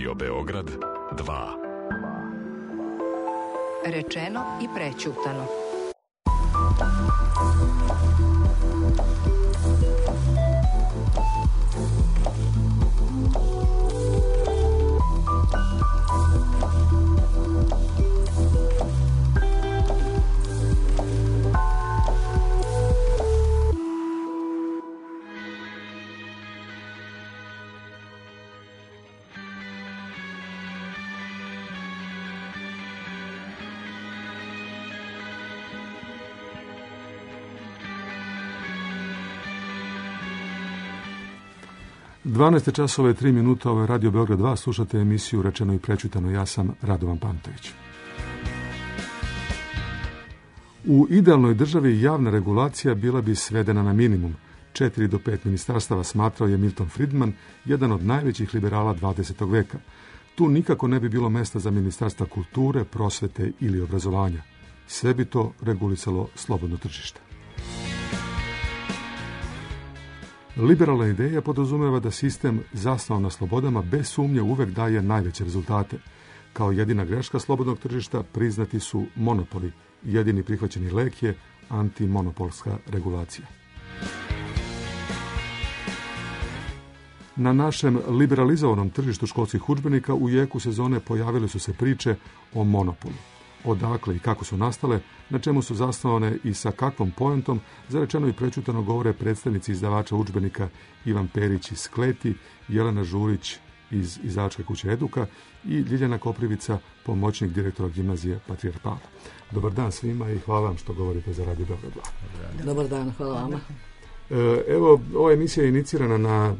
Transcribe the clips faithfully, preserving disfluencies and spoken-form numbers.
Radio Beograd dva. Rečeno i prećutano. dvanaest časova i tri minuta, ovo je Radio Beograd dva, slušate emisiju Rečeno i prećutano, ja sam Radovan Pantović. U idealnoj državi javna regulacija bila bi svedena na minimum. Četiri do pet ministarstava, smatrao je Milton Friedman, jedan od najvećih liberala dvadesetog veka. Tu nikako ne bi bilo mesta za ministarstva kulture, prosvete ili obrazovanja. Sve bi to regulisalo slobodno tržište. Liberalna ideja podrazumeva da sistem zasnovan na slobodama bez sumnje uvek daje najveće rezultate. Kao jedina greška slobodnog tržišta priznati su monopoli. Jedini prihvaćeni lek je antimonopolska regulacija. Na našem liberalizovanom tržištu školskih udžbenika u jeku sezone pojavile su se priče o monopolu. Odakle i kako su nastale, na čemu su zasnovane i sa kakvom poentom, za rečeno i prećutano govore predstavnici izdavača udžbenika Ivan Perić iz Kleti, Jelena Žurić iz izdavačke kuće Eduka i Ljiljana Koprivica, pomoćnik direktora gimnazije Patrijarh Pavle. Dobar dan svima i hvala vam što govorite za Radio Beograd dva. Dobar dan, hvala vama. Evo, ova emisija je inicirana na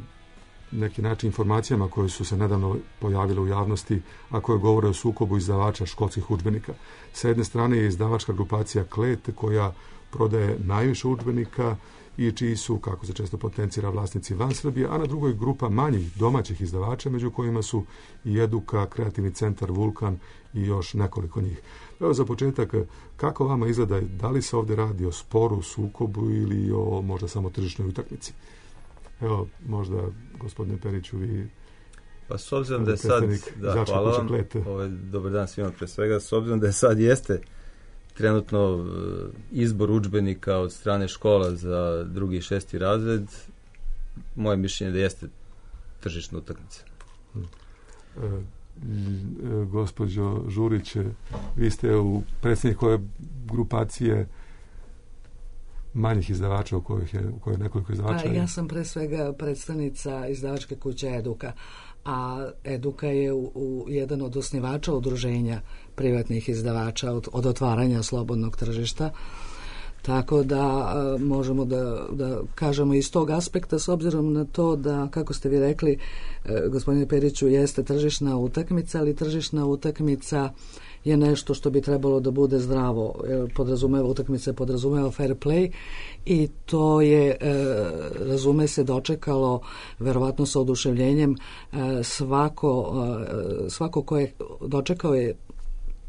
neki način informacijama koje su se nedavno pojavile u javnosti, a koje govore o sukobu izdavača školskih udžbenika. Sa jedne strane je izdavačka grupacija Klet, koja prodaje najviše udžbenika i čiji su, kako se često potencira, vlasnici van Srbije, a na drugoj grupa manjih domaćih izdavača, među kojima su i Eduka, Kreativni centar Vulkan i još nekoliko njih. Evo za početak, kako vama izgleda, da li se ovdje radi o sporu, sukobu ili o možda samo tržišnoj utakmici? Evo, možda, gospodine Periću, vi... Pa s obzirom da je sad... Da, hvala vam. Ovaj, dobar dan svima pre svega. S obzirom da je sad jeste trenutno izbor udžbenika od strane škola za drugi i šesti razred, moje mišljenje da jeste tržišna utakmica. E, e, gospođo Žurić, vi ste u predsjednik koje grupacije manjih izdavača u kojih je, u kojoj je nekoliko izdavača? A, ja sam pre svega predstavnica izdavačke kuće Eduka, a Eduka je u, u jedan od osnivača udruženja privatnih izdavača od, od otvaranja slobodnog tržišta. Tako da a, možemo da, da kažemo iz tog aspekta, s obzirom na to da, kako ste vi rekli, e, gospodine Periću, jeste tržišna utakmica, ali tržišna utakmica je nešto što bi trebalo da bude zdravo. Podrazumeva, utakmica podrazumeva fair play i to je, e, razume se, dočekalo verovatno sa oduševljenjem e, svako, e, svako ko je dočekao je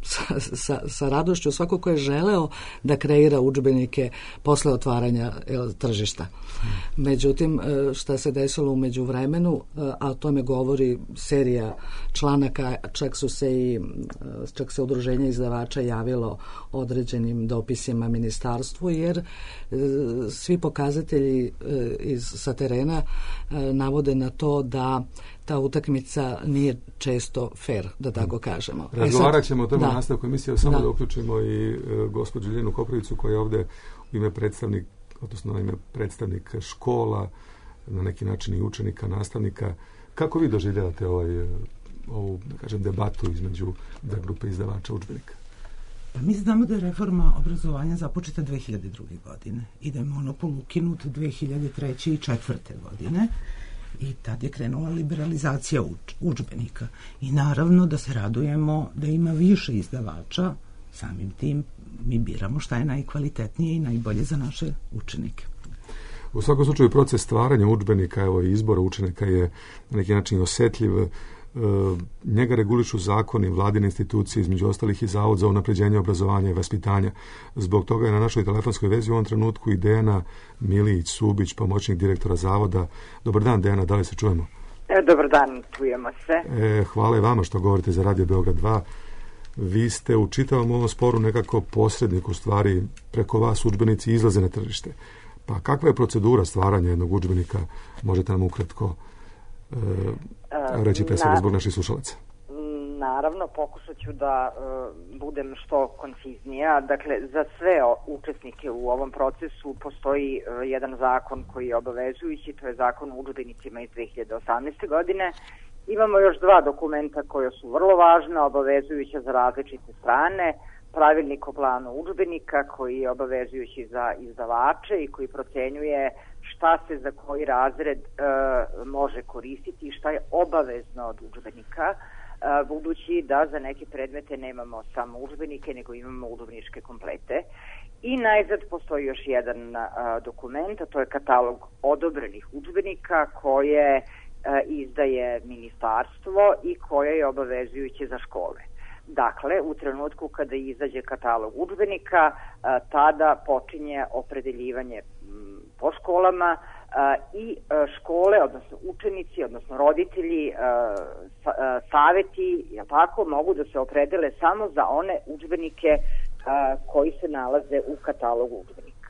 Sa, sa, sa radošću svako ko je želeo da kreira udžbenike posle otvaranja jel, tržišta. Međutim, šta se desilo u međuvremenu, a o tome govori serija članaka, čak su se i čak se udruženje izdavača javilo određenim dopisima ministarstvu, jer svi pokazatelji iz, sa terena navode na to da ta utakmica nije često fair, da tako kažemo. Razgovarat ćemo o tome u nastavku emisije, samo da, da uključimo i e, gospođu Ljiljanu Koprivicu, koja je ovdje u ime predstavnik, odnosno na ime predstavnik škola, na neki način i učenika, nastavnika. Kako vi doživljavate ovaj, ovu, da kažem, debatu između dve grupe izdavača udžbenika? Pa mi znamo da je reforma obrazovanja započeta dve hiljade druge. godine i da je monopol ukinut dve hiljade treće i četvrte. godine. I tad je krenula liberalizacija udžbenika. I naravno da se radujemo da ima više izdavača, samim tim mi biramo šta je najkvalitetnije i najbolje za naše učenike. U svakom slučaju proces stvaranja udžbenika, evo i izbora učenika je na neki način osjetljiv. Njega regulišu zakoni, vladine institucije, između ostalih i Zavod za unapređenje obrazovanja i vaspitanja. Zbog toga je na našoj telefonskoj vezi u ovom trenutku i Dejana Milić-Subić, pomoćnik direktora Zavoda. Dobar dan, Dejana, da li se čujemo? E, dobar dan, čujemo se. E, hvala i vama što govorite za Radio Beograd dva. Vi ste u čitavom ovom sporu nekako posrednik, u stvari preko vas udžbenici izlaze na tržište. Pa kakva je procedura stvaranja jednog udžbenika? Možete nam ukratko e, reći pre svega zbog naših slušalaca. Naravno, pokušat ću da uh, budem što konciznija. Dakle, za sve učesnike u ovom procesu postoji uh, jedan zakon koji je obavezujući, to je zakon o udžbenicima iz dve hiljade osamnaeste. godine. Imamo još dva dokumenta koja su vrlo važna, obavezujuća za različite strane. Pravilnik o planu udžbenika koji je obavezujući za izdavače i koji procenjuje šta se za koji razred uh, može koristiti i šta je obavezno od udžbenika, budući da za neke predmete nemamo samo udžbenike, nego imamo udžbeničke komplete. I najzad postoji još jedan a, dokument, a to je katalog odobrenih udžbenika koje a, izdaje ministarstvo i koje je obavezujuće za škole. Dakle, u trenutku kada izađe katalog udžbenika, a, tada počinje opredeljivanje m, po školama a, i a, škole, odnosno učenici, odnosno roditelji, a, sa, a, saveti, jel tako, mogu da se opredele samo za one udžbenike a, koji se nalaze u katalogu udžbenika.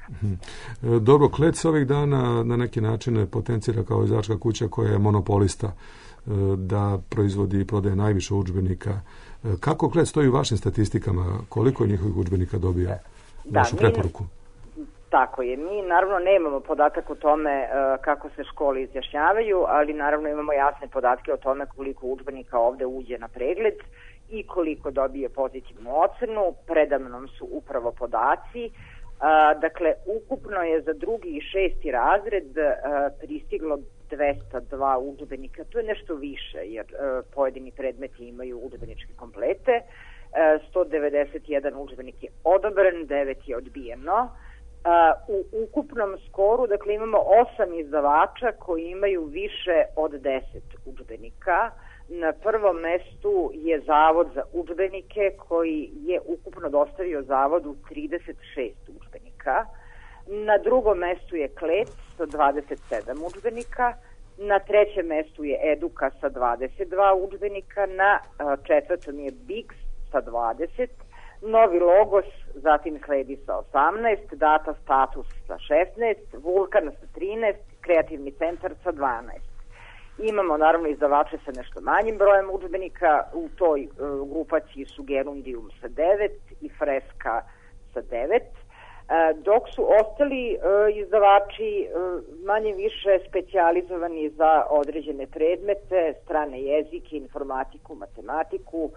Dobro, Klet se ovih dana na neki način potencira kao izdavačka kuća koja je monopolista, da proizvodi i prodaje najviše udžbenika. Kako Klet stoji u vašim statistikama? Koliko njihovih udžbenika dobija da, vašu preporuku? Mi, tako je. Mi naravno nemamo podatak o tome uh, kako se škole izjašnjavaju, ali naravno imamo jasne podatke o tome koliko udžbenika ovde uđe na pregled i koliko dobije pozitivnu ocenu. Predamnom su upravo podaci. Uh, dakle, ukupno je za drugi i šesti razred uh, pristiglo dvesta dva udžbenika. To je nešto više, jer uh, pojedini predmeti imaju udžbeničke komplete. Uh, sto devedeset jedan udžbenik je odobren, devet je odbijeno. Uh, u ukupnom skoru, dakle, imamo osam izdavača koji imaju više od deset udžbenika. Na prvom mestu je Zavod za udžbenike koji je ukupno dostavio Zavodu trideset šest udžbenika. Na drugom mestu je Klet sa dvadeset sedam udžbenika. Na trećem mestu je Eduka sa dvadeset dva udžbenika. Na četvrtom je Biks sa dvadeset. Novi Logos zatim sledi sa osamnaest. Data Status sa šesnaest. Vulkan sa trinaest. Kreativni centar sa dvanaest. Imamo naravno izdavače sa nešto manjim brojem udžbenika, u toj uh, grupaciji su Gerundium sa devet i Freska sa devet, uh, dok su ostali uh, izdavači uh, manje više specijalizovani za određene predmete, strane jezike, informatiku, matematiku,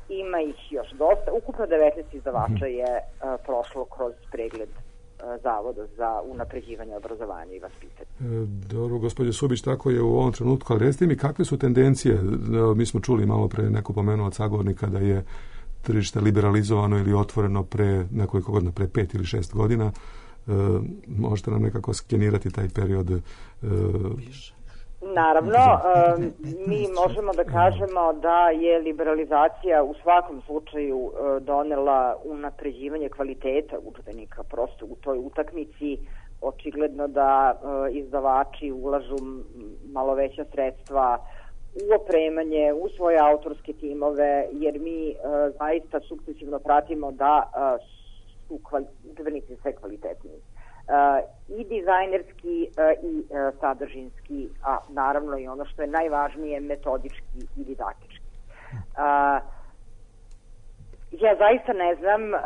ima ih još dosta. Ukupno devetnaest izdavača je uh, prošlo kroz pregled Zavoda za unapređivanje obrazovanja i vaspitanja. Dobro, gospođo Subić, tako je u ovom trenutku, ali recite mi kakve su tendencije? Mi smo čuli malo pre, neko pomenuo od sagovornika da je tržište liberalizovano ili otvoreno pre nekoliko godina, pre pet ili šest godina. E, možete nam nekako skenirati taj period? E, Naravno, um, mi možemo da kažemo da je liberalizacija u svakom slučaju uh, donela unapređivanje kvaliteta udžbenika. Prosto u toj utakmici očigledno da uh, izdavači ulažu malo veća sredstva u opremanje, u svoje autorske timove, jer mi uh, zaista sukcesivno pratimo da uh, su kvali- udžbenici sve kvalitetniji. Uh, i dizajnerski uh, i uh, sadržinski, a naravno i ono što je najvažnije, metodički i didaktički. Uh, ja zaista ne znam uh,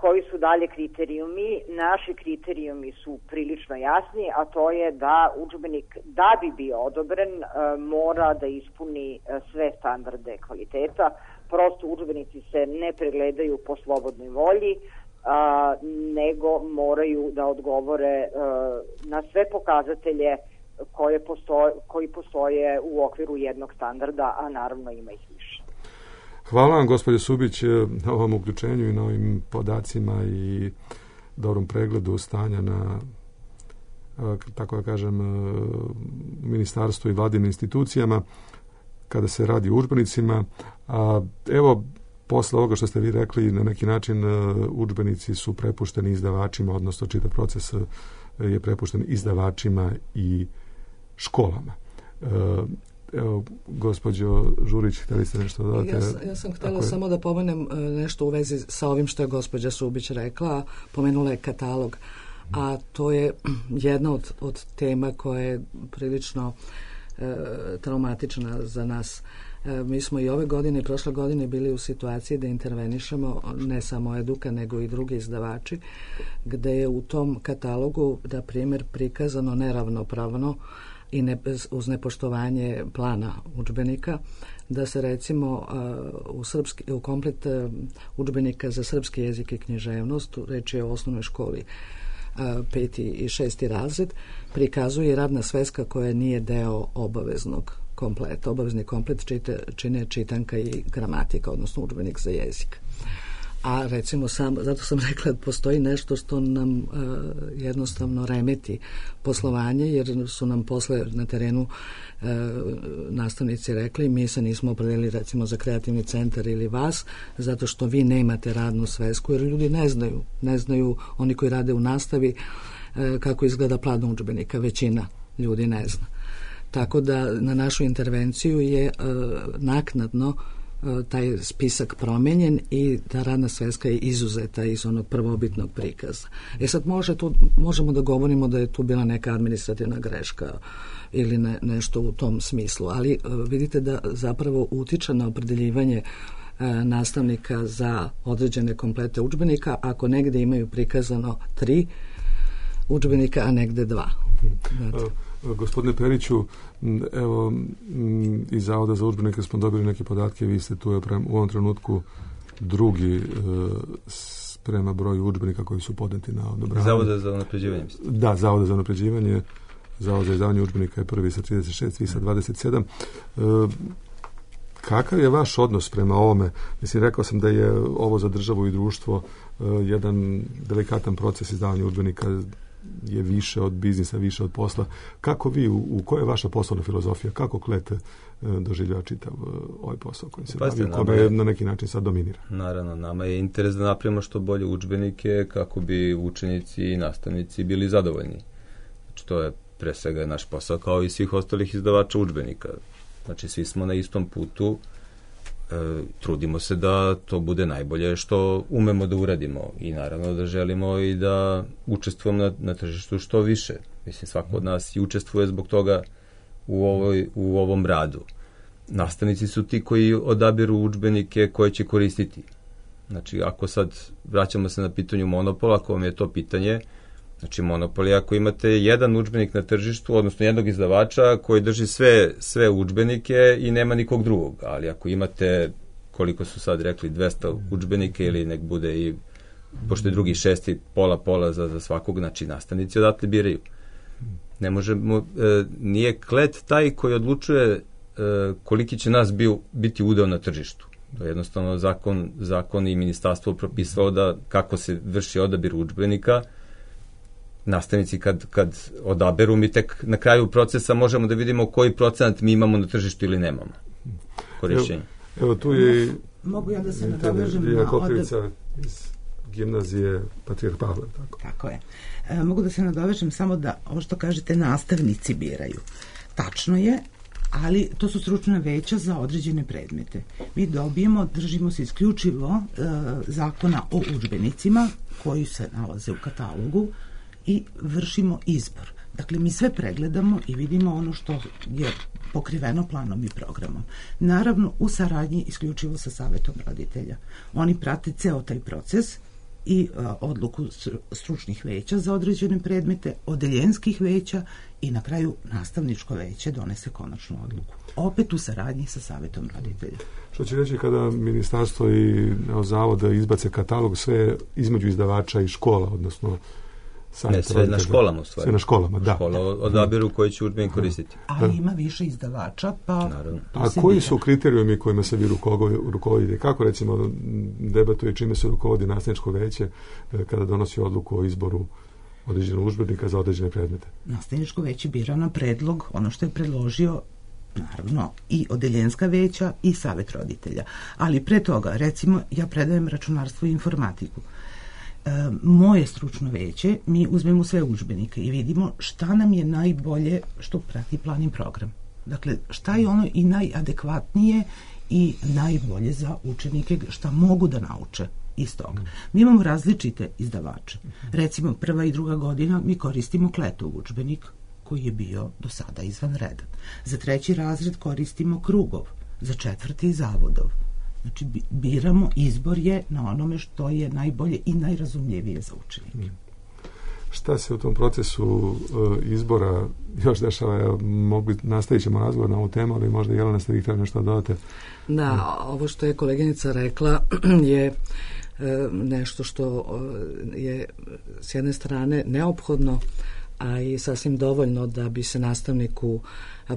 koji su dalje kriterijumi. Naši kriterijumi su prilično jasni, a to je da udžbenik, da bi bio odobren, uh, mora da ispuni uh, sve standarde kvaliteta. Prosto udžbenici se ne pregledaju po slobodnoj volji, A, nego moraju da odgovore a, na sve pokazatelje koje postoje, koji postoje u okviru jednog standarda, a naravno ima ih više. Hvala vam, gospođo Subić, na ovom uključenju i na ovim podacima i dobrom pregledu stanja na, tako da kažem, ministarstvu i vladinim institucijama kada se radi o udžbenicima. A, evo, posle ovoga što ste vi rekli, na neki način udžbenici su prepušteni izdavačima, odnosno čitav proces je prepušten izdavačima i školama. Evo, gospođo Žurić, htjeli ste nešto dodati? Ja, ja sam htjela je... samo da pomenem nešto u vezi sa ovim što je gospođa Subić rekla. Pomenula je katalog, a to je jedna od, od tema koja je prilično e, traumatična za nas. E, mi smo i ove godine i prošle godine bili u situaciji da intervenišemo, ne samo Eduka, nego i drugi izdavači, gde je u tom katalogu, da primjer, prikazano neravnopravno i ne, uz nepoštovanje plana udžbenika, da se recimo uh, u, srpski, u komplet uh, udžbenika za srpski jezik i književnost, reč je o osnovnoj školi uh, peti i šesti razred, prikazuje radna sveska koja nije deo obaveznog kompleta. Obavezni komplet čite, čine čitanka i gramatika, odnosno udžbenik za jezik. A recimo sam, zato sam rekla da postoji nešto što nam uh, jednostavno remeti poslovanje, jer su nam posle na terenu uh, nastavnici rekli mi se nismo opredelili recimo za kreativni centar ili vas, zato što vi nemate radnu svesku, jer ljudi ne znaju, ne znaju oni koji rade u nastavi uh, kako izgleda plan udžbenika, većina ljudi ne zna. Tako da na našu intervenciju je uh, naknadno taj spisak promenjen i ta radna sveska je izuzeta iz onog prvobitnog prikaza. E sad može tu, možemo da govorimo da je tu bila neka administrativna greška ili ne, nešto u tom smislu, ali vidite da zapravo utiče na opredeljivanje nastavnika za određene komplete udžbenika ako negde imaju prikazano tri udžbenika, a negde dva. Znači. Gospodine Periću, evo, iz Zavoda za udžbenike smo dobili neke podatke, vi ste tu u ovom trenutku drugi prema broju udžbenika koji su podneti na odobravanje. Zavoda za unapređivanje. Da, Zavoda za unapređivanje. Zavod za izdavanje udžbenika je prvi sa trideset šest, vi sa dvadeset sedam. Kakav je vaš odnos prema ovome? Mislim, rekao sam da je ovo za državu i društvo jedan delikatan proces izdavanja udžbenika, je više od biznisa, više od posla. Kako vi, u, u koja je vaša poslovna filozofija? Kako Klete doživljava čitav ovaj posao koji se bavi, kome je na neki način sad dominira? Naravno, nama je interes da napravimo što bolje udžbenike kako bi učenici i nastavnici bili zadovoljni. Znači, to je pre svega naš posao kao i svih ostalih izdavača udžbenika. Znači, svi smo na istom putu. E, trudimo se da to bude najbolje što umemo da uradimo i naravno da želimo i da učestvujemo na, na tržištu što više. Mislim, svako od nas i učestvuje zbog toga u, ovoj, u ovom radu. Nastavnici su ti koji odabiru udžbenike koje će koristiti. Znači, ako sad vraćamo se na pitanju monopola, ako vam je to pitanje, znači monopol je ako imate jedan udžbenik na tržištu, odnosno jednog izdavača koji drži sve, sve udžbenike i nema nikog drugog. Ali ako imate, koliko su sad rekli, dvesta udžbenike ili nek bude i, pošto je drugi šesti, pola pola za, za svakog, znači nastavnici odatle biraju. Ne možemo, e, nije Klet taj koji odlučuje e, koliki će nas bio, biti udeo na tržištu. To je jednostavno zakon, zakon i ministarstvo propisalo da kako se vrši odabir udžbenika. Nastavnici kad, kad odaberu, mi tek na kraju procesa možemo da vidimo koji procenat mi imamo na tržištu ili nemamo korišćenja. Evo, evo tu je... Mogu ja da se nadovežem na odab... iz gimnazije Patrijarh Pavle. Tako, tako je. E, mogu da se nadovežem samo da ovo što kažete nastavnici biraju. Tačno je, ali to su stručna veća za određene predmete. Mi dobijemo, držimo se isključivo e, zakona o udžbenicima koji se nalaze u katalogu i vršimo izbor. Dakle, mi sve pregledamo i vidimo ono što je pokriveno planom i programom. Naravno, u saradnji isključivo sa savetom roditelja. Oni prate ceo taj proces i a, odluku stručnih veća za određene predmete, odeljenskih veća i na kraju nastavničko veće donese konačnu odluku. Opet u saradnji sa savetom roditelja. Što će reći kada ministarstvo i Zavod izbace katalog sve između izdavača i škola, odnosno ne, sve na školama u stvari. Sve na školama, da. Škola odabiru koji će udžbenik koristiti. Ali ima više izdavača, pa... Naravno. A koji su kriterijumi kojima se vi rukovodite? Kako, recimo, debatuje čime se rukovodi nastavničko veće kada donosi odluku o izboru određenog udžbenika za određene predmete? Nastavničko veće bira na predlog, ono što je predložio, naravno, i odeljenska veća i savet roditelja. Ali pre toga, recimo, ja predajem računarstvo i informatiku. E, moje stručno veće, mi uzmemo sve udžbenike i vidimo šta nam je najbolje što prati plan i program. Dakle, šta je ono i najadekvatnije i najbolje za učenike, šta mogu da nauče iz toga. Mi imamo različite izdavače. Recimo, prva i druga godina mi koristimo Kletov udžbenik, koji je bio do sada izvanredan. Za treći razred koristimo Krugov, za četvrti Zavodov. Znači, biramo, izbor je na onome što je najbolje i najrazumljivije za učenike. Šta se u tom procesu uh, izbora još dešava? Evo, mogli, nastavit ćemo razgovor na ovu temu, ali možda Jelena ste vi htjeli nešto dodate. Da, ovo što je koleginica rekla je e, nešto što je s jedne strane neophodno, a i sasvim dovoljno da bi se nastavniku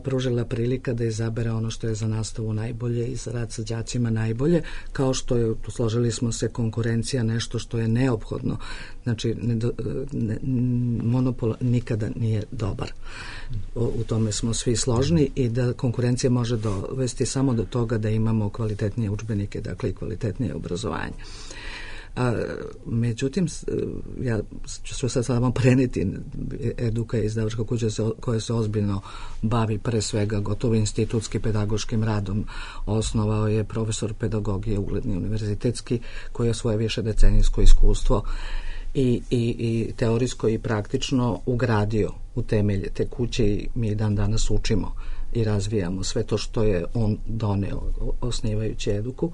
pružila prilika da izabere ono što je za nastavu najbolje i za rad sa đacima najbolje, kao što je, složili smo se, konkurencija nešto što je neophodno. Znači, ne, ne, monopol nikada nije dobar. U, u tome smo svi složni i da konkurencija može dovesti samo do toga da imamo kvalitetnije udžbenike, dakle i kvalitetnije obrazovanje. A, međutim, ja ću sad samo preneti, Eduka je izdavačka kuća koja se ozbiljno bavi pre svega gotovo institutski pedagoškim radom. Osnovao je profesor pedagogije, ugledni univerzitetski, koji je svoje višedecenijsko iskustvo i, i, i teorijsko i praktično ugradio u temelje te kuće i mi dan danas učimo i razvijamo sve to što je on doneo osnivajući Eduku.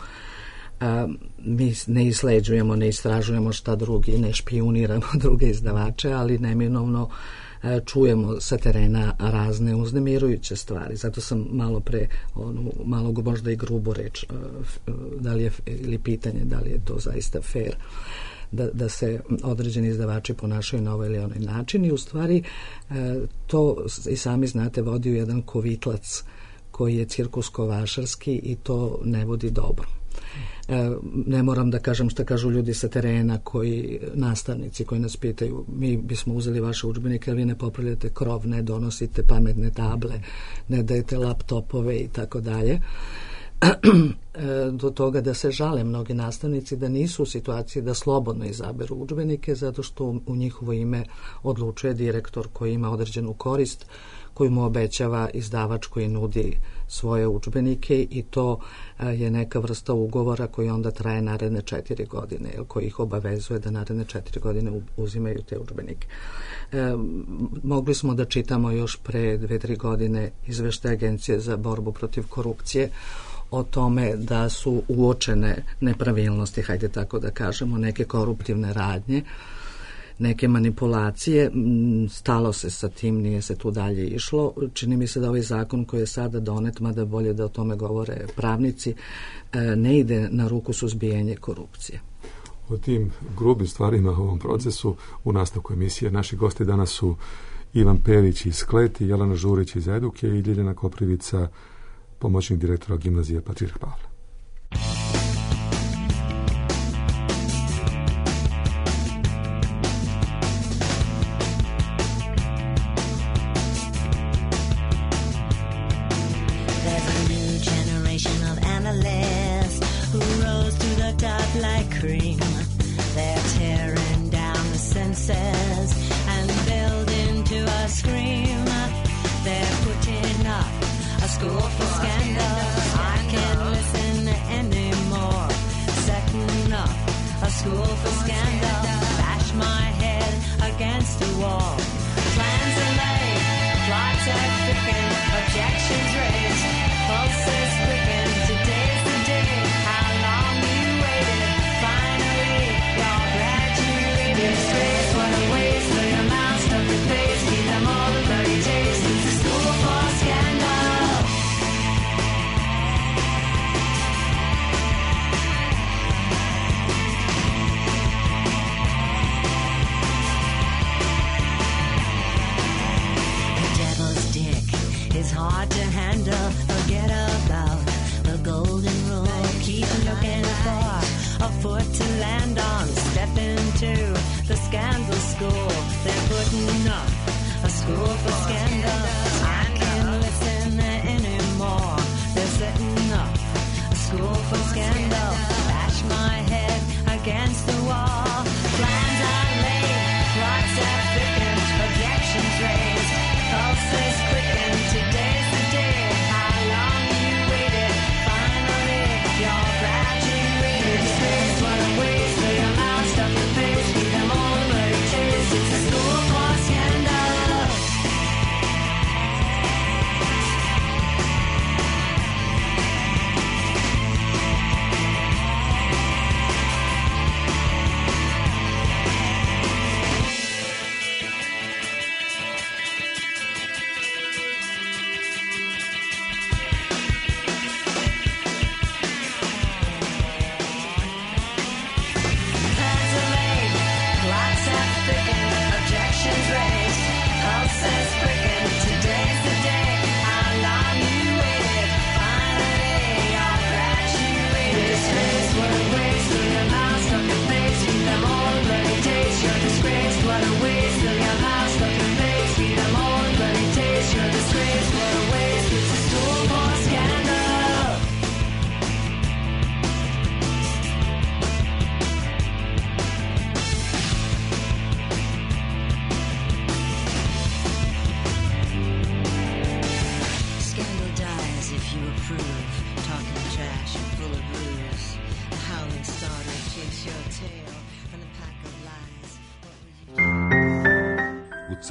A, mi ne isleđujemo, ne istražujemo šta drugi, ne špijuniramo druge izdavače, ali neminovno a, čujemo sa terena razne uznemirujuće stvari. Zato sam malo pre, onu, malo možda i grubo reč, a, da li je, ili pitanje da li je to zaista fair, da, da se određeni izdavači ponašaju na ovaj ili onaj način i u stvari a, to i sami znate vodi u jedan kovitlac koji je cirkusko-vašarski i to ne vodi dobro. E, ne moram da kažem šta kažu ljudi sa terena, koji nastavnici koji nas pitaju, mi bismo uzeli vaše udžbenike, ali vi ne popravljate krov, ne donosite pametne table, ne dajete laptopove i tako dalje. Do toga da se žale mnogi nastavnici da nisu u situaciji da slobodno izaberu udžbenike zato što u njihovo ime odlučuje direktor koji ima određenu korist koji mu obećava izdavač koji nudi svoje udžbenike i to je neka vrsta ugovora koji onda traje naredne četiri godine, koji ih obavezuje da naredne četiri godine uzimaju te udžbenike. E, mogli smo da čitamo još pre dve, tri godine izveštaj Agencije za borbu protiv korupcije o tome da su uočene nepravilnosti, hajde tako da kažemo, neke koruptivne radnje, neke manipulacije, stalo se sa tim, nije se tu dalje išlo. Čini mi se da ovaj zakon koji je sada donet, mada bolje da o tome govore pravnici, ne ide na ruku suzbijanje korupcije. O tim grubim stvarima u ovom procesu u nastavku emisije naši gosti danas su Ivan Perić iz Kleti, Jelena Žurić iz Eduke i Ljiljana Koprivica, pomoćnik direktora gimnazije Patrijarh Pavle. Pulses quicken, today's the day.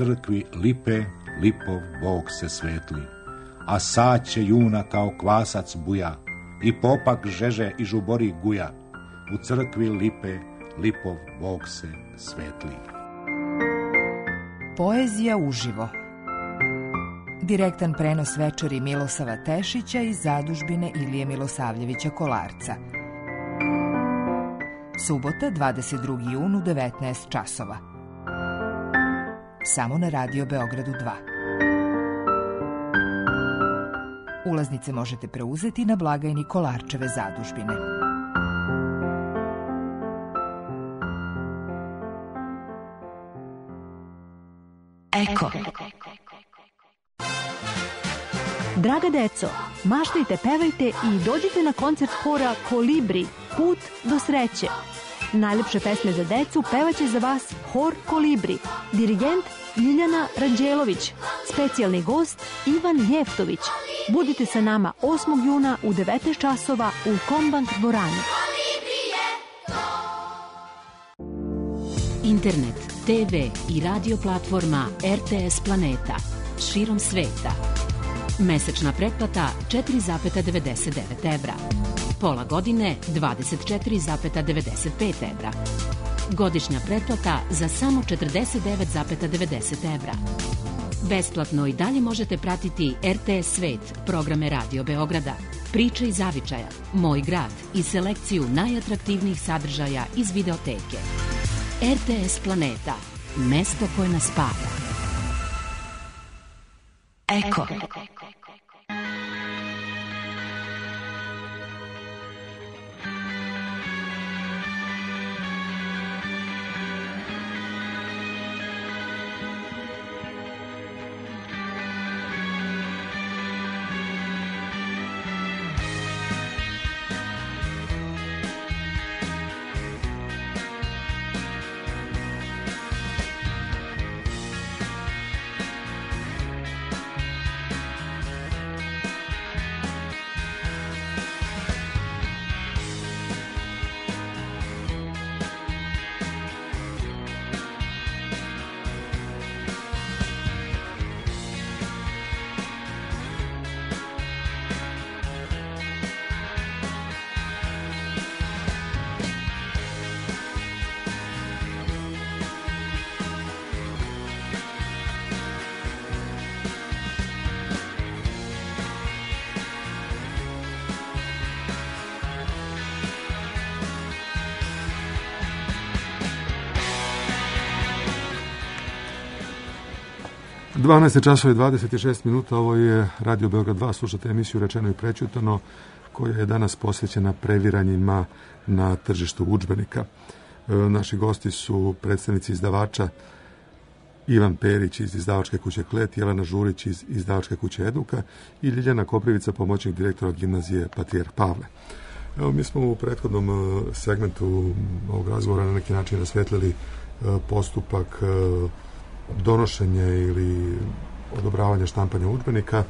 crkvi lipe, lipov Bog se svetli, a saće juna kao kvasac buja, i popak žeže i žubori guja, u crkvi lipe, lipov Bog se svetli. Poezija uživo. Direktan prenos večeri Milosava Tešića iz zadužbine Ilije Milosavljevića Kolarca. Subota, dvadeset drugi jun u devetnaest časova. Samo na Radio Beogradu dva. Ulaznice možete preuzeti na blagajni Kolarčeve zadužbine. Eko. Draga deco, maštajte, pevajte i dođite na koncert hora Kolibri, Put do sreće. Najlepše pesme za decu pevaće za vas hor Kolibri, dirigent Ljiljana Ranđelović, specijalni gost Ivan Jeftović. Budite sa nama osmog juna u devetnaest časova u Kombank dvorani. Internet, te ve i radio platforma er te es Planeta širom sveta. Mesečna pretplata četiri zarez devedeset devet evra. Pola godine dvadeset četiri zarez devedeset pet evra. Godišnja pretplata za samo četrdeset devet zarez devedeset evra. Besplatno i dalje možete pratiti er te es Svet, programe Radio Beograda, Priče iz zavičaja, Moj grad i selekciju najatraktivnijih sadržaja iz videoteke. er te es Planeta, mesto koje nas spaja. Eko. dvanaest časova i dvadeset šest minuta, ovo je Radio Beograd dva, slušate emisiju Rečeno i prećutano, koja je danas posvećena previranjima na tržištu udžbenika. E, naši gosti su predstavnici izdavača Ivan Perić iz izdavačke kuće Klet, Jelena Žurić iz izdavačke kuće Eduka i Ljiljana Koprivica, pomoćnik direktora gimnazije Patrijarh Pavle. Evo, mi smo u prethodnom segmentu ovog razgovora na neki način rasvetlili postupak donošenja ili odobravanja štampanja udžbenika. E,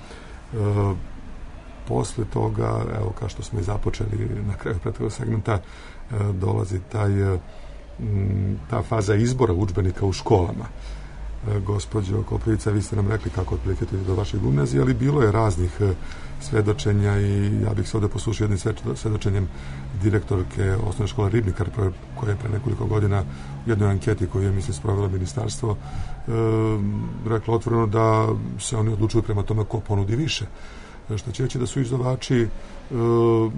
posle toga, evo, kao što smo i započeli na kraju prethodnog segmenta, e, dolazi taj, m, ta faza izbora udžbenika u školama. E, gospođo Koprivica, vi ste nam rekli kako otprilike do vaše gimnazije, ali bilo je raznih e, svedočenja i ja bih se ovde poslušao jednim svedočenjem direktorke osnovne škole Ribnikar, koja je pre nekoliko godina u jednoj anketi koju je, mislim, sprovelo ministarstvo, e, rekla otvoreno da se oni odlučuju prema tome ko ponudi više. E, što će reći da su izdavači e,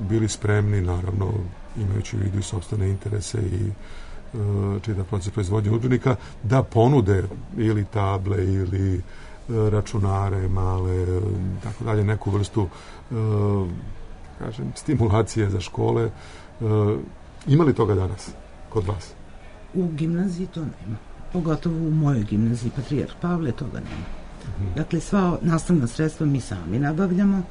bili spremni, naravno, imajući u vidu i sopstvene interese i e, čitav proces proizvodnje udžbenika, da ponude ili table ili računare male, tako dalje, neku vrstu e, kažem, stimulacije za škole. E, ima li toga danas kod vas? U gimnaziji to nema. Pogotovo u mojoj gimnaziji Patrijarh Pavle toga nema. Uh-huh. Dakle, sva nastavna sredstva mi sami nabavljamo,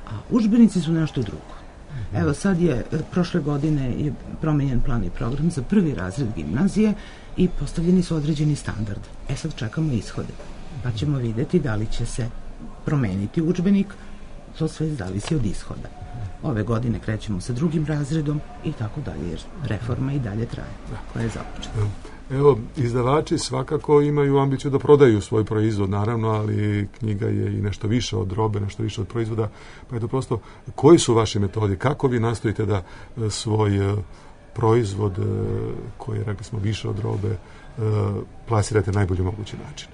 a udžbenici su nešto drugo. Uh-huh. Evo, sad je, prošle godine je promenjen plan i program za prvi razred gimnazije i postavljeni su određeni standard. E sad čekamo ishode. Pa ćemo videti da li će se promeniti udžbenik, to sve zavisi od ishoda. ove godine krećemo sa drugim razredom i tako dalje, jer reforma i dalje traje, koja je započeta. Evo, izdavači svakako imaju ambiciju da prodaju svoj proizvod, naravno, ali knjiga je i nešto više od robe, nešto više od proizvoda, pa je to prosto, koji su vaši metodi, kako vi nastojite da svoj proizvod, koji je, rekli smo, više od robe, plasirate na najbolji mogući način?